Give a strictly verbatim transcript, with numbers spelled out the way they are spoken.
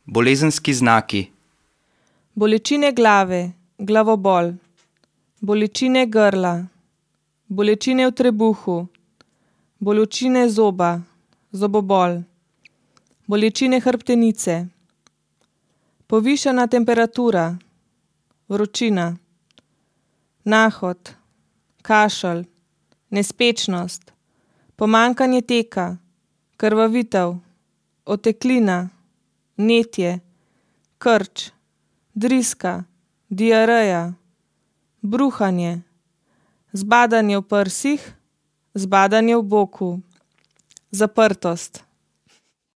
Bolezenski znaki. Bolečine glave, glavobol, bolečine grla, bolečine v trebuhu, bolečine zoba, zobobol, bolečine hrbtenice, povišana temperatura, vročina, nahod, kašelj, nespečnost, pomanjkanje teka, krvavitev, oteklina, vnetje, krč, driska, diareja, bruhanje, zbadanje v prsih, zbadanje v boku, zaprtost.